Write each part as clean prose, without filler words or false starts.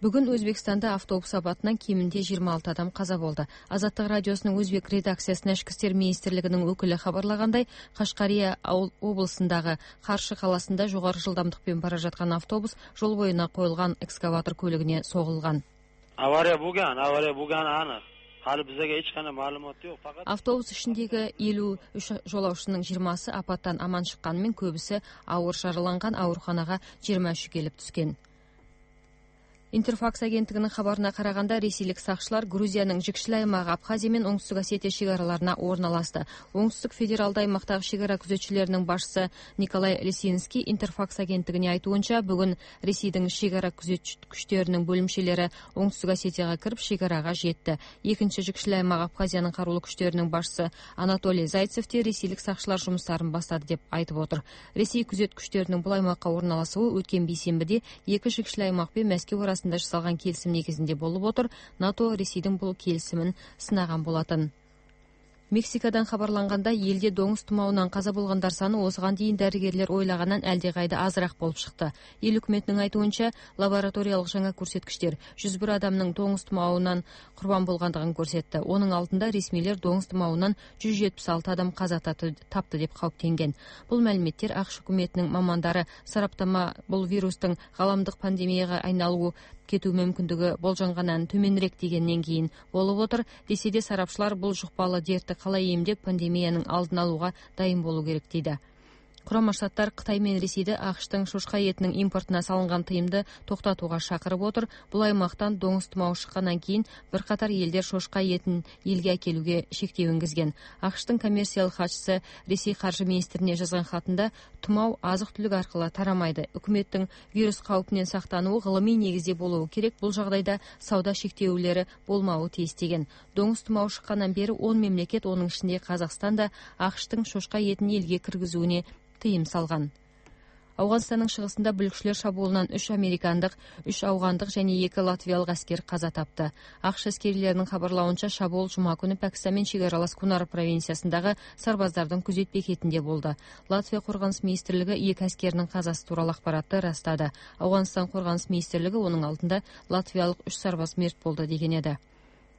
Бүгүн Өзбекстанда автобус апатынан кеминде 26 адам каза болду. Азаттык радиосунун өзбек редакциясына Ички иштер министрлигинин өкүлү кабарлагандай, Кашкария облусундагы Каршы каласында жогору жылдамдыкпен бара жаткан автобус жол боюна коюлган экскаватор көлүгүнө согулган. Авария болгон анык. Hali bizga hech qanday ma'lumot yo'q. Faqat автобус ичиндеги 53 жолоочунун 20сы апаттан аман чыкканымен көбүсү ауыр жараланган, ооруканага 23 келип түскөн. Интерфакс агенттигинин кабарына караганда, ресейлик сакчылар Грузиянын жикшил аймагы Абхазия менен Оңтүстүк Осетия чек араларына орналашты. Оңтүстүк федералдык аймактагы чек ара күзөтчүлөрүнүн башчысы Николай Лисинский Интерфакс агенттигине айтуунча, бүгүн Ресейдин чек ара күзөтчү күчтөрүнүн бөлүмчөлөрү Оңтүстүк Осетияга кирип, чек арага жетти. Экинчи жикшил аймак Абхазиянын каруулуу күчтөрүнүн башчысы Анатолий Зайцев те ресейлик сакчылар жумуштарын баштады деп айтып отур. Ресей күзөт күчтөрүнүн бул аймакка орналасуу өткөн бейсенбиде эки жикшил аймак менен Москва арасында жасалган келисим негизинде болуп отур. НАТО Ресейдин бул келисимин сынаган болотун. Мексикадан хабарланганда, элде доңуз тумоонунан каза болгондар саны осуган дейин дарыгерлер ойлагандан алде кайда азыраак болуп чыкты. Эл өкмөтүнүн айтуунча, лабораториялык жаңа көрсөткүчтөр 101 адамдын доңуз тумоонунан курбан болгондугун көрсөттү. Онун алдында ресмилер доңуз тумоонунан 176 адам каза тапты деп кауптенген. Бул маалиметтер АКШ өкмөтүнүн мамандары сараптама бул вирустун галамдык пандемияга айналуу кетүү мүмкүндүгү болжонгандан төмөнүрөөк дегенден кийин болуп отур. Десе де сарапчылар бул жукпалуу дертти калай эмдеп пандемиянын алдын алууга дайын болуу керек дейди. Курама Штаттар Кытай менен Ресейди АКШтын шошка этинин импортуна салынган тыйымды токтотууга чакырып отур. Бул аймактан доңуз тумоо чыккандан кийин бир катар элдер шошка этин элге акелүүгө шектөө энгизген. АКШтын коммерциялык катчысы Ресей каржы министрине жазган хатында тумоо азык-түлүк аркылуу тарамайды. Өкмөттүн вирус кауптунан сактануу гылымый негизде болуу керек. Бул жагдайда сауда шектөөлөрү болмообу тийиз деген. Доңуз тумоо чыккандан бери 10 мемлекет, онун ичинде Казакстан да АКШтын шошка этин элге киргизүүнү тыйым салган. Афганстандын чыгысында бүлүкчүлөр шабуулунан 3 американдык, 3 аугандык жана 2 латвиялык аскер каза тапты. АКШ аскерлеринин кабарлауынча, шабуул жума күнү Пакистан менен чек аралас Кунар провинциясындагы сарбаздардын күзөт бекетинде болду. Латвия коргонус министрлиги 2 аскеринин казасы тууралуу акпаратты ырастады. Афганстан коргонус министрлиги онун алдында латвиялык 3 сарбаз мерт болду деген эди.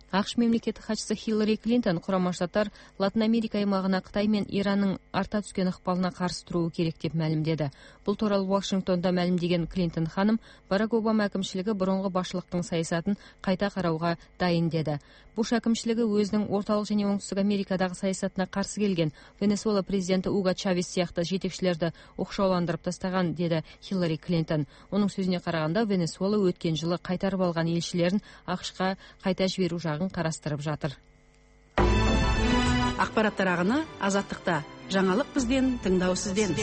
АКШ мемлекеттик катчысы Хиллари Клинтон Курама Штаттар Латын Америка аймагына Кытай менен Ирандын арта түскөн ыкпалына каршы туруу керек деп маалимдеди. Бул тууралуу Вашингтондо маалимдеген Клинтон ханым, Барак Обама акимчилиги бороонгу башчылыктын саясатын кайта кароого дайын деди. Буш акимчилиги өзүнүн ортолук жана оңтүстүк Америкадагы саясатына каршы келген Венесуэла президенти Уго Чавес сыяктуу жетекчилерди окшооландырып тастаган, деди Хиллари Клинтон. Онун сөзүнө караганда, Венесуэла өткөн жылы кайтарып алган элчилерин АКШка кайта жиберүү жагын караштырып жатыр. Акпараттар агыны Азаттыкта. Жаңылык бизден, тыңдоо сизден.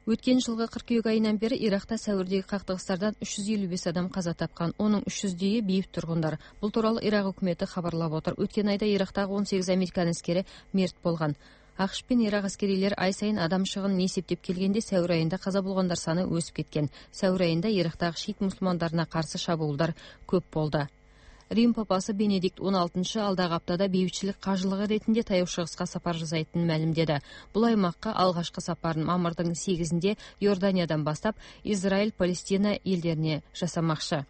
Өткөн жылгы кыркүйек айынан бери Иракта сәүрдеги кактыгыстардан 355 адам каза тапкан. Онун 300-дии бейбит тургундар. Бул тууралуу Ирак өкмөтү кабарлап отур. Өткөн айда Ирактагы 18 американ аскери мерт болгон. АКШ пен Ирак аскерилери ай сайын адам чыгынын эсептеп келгенде сәур айында каза болгондар саны өсүп кеткен. Сәур айында Ирактагы шиит мусулмандарына каршы шабуулдар көп болду. Рим папасы Бенедикт 16 алдагы аптада бейбитчилик кажылыгы ретинде Таяу Чыгыска сапар жасайтынын маалимдеди. Бул аймакка алгачкы сапарын мамырдын 8-inde Иорданиядан баштап Израиль, Палестина элдерине жасамакчы.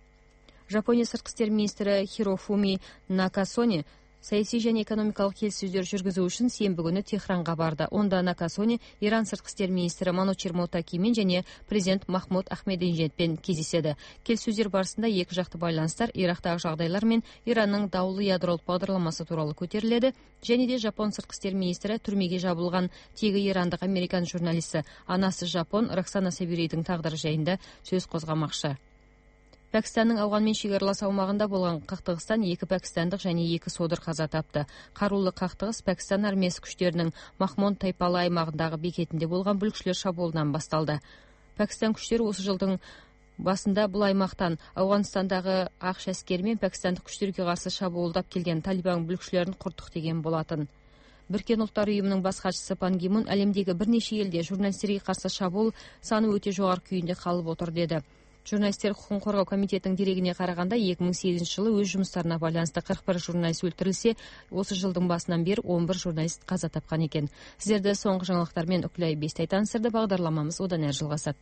Жапония сырткы иштер министри Хирофуми Накасони саясий жана экономикалык келиссөздөр жүргүзүү үчүн сенбі күнү Техранга барды. Онда Накасони Иран сырткы иштер министри Манучир Мотакимен жана президент Махмуд Ахмединежадпен кездешеди. Келиссөздөр барысында эки жакты байланыштар, Ирактагы жагдайлар менен Иранның даулуу ядролук багдарламасы тууралуу көтөрүлдү. Және де Жапон сырткы иштер министри түрмөгө жабылган теги ирандык американ журналисти анасы Жапон Роксана Сабирийдин тагдыры жайында сөз козгомакчы. Пакистандын Афган менен чек аралас аумагында болгон кактыгыстан 2 пакистандык жана 2 содыр каза тапты. Каруулуу кактыгыс Пакистан армиясы күчтөрүнүн Махмон тайпалуу аймагындагы бекетинде болгон бүлүкчүлөр шабуулунан башталды. Пакистан күчтөрү осы жылдын басында бул аймактан Афганстандагы АКШ аскери менен пакистандык күчтөргө каршы шабуулдап келген Талибан бүлүкчүлөрүн курттук деген болотун. Бириккен Улуттар уюмунун баш катчысы Пан Ги Мун әлемдеги бир нече элде журналисттерге каршы шабуул саны өтө жогору күйүндө калып отур деди. Журналисттер укугун коргоо комитетинин дерегине караганда 2008-жылы өз жумуштарына байланыштуу 41 журналист өлтүрүлсө, осы жылдын басынан бери 11 журналист каза тапкан экен. Сиздерди соңку жаңылыктар менен Үкүлай Бестайтан сырды багдарламамыз одан ары жалгасат.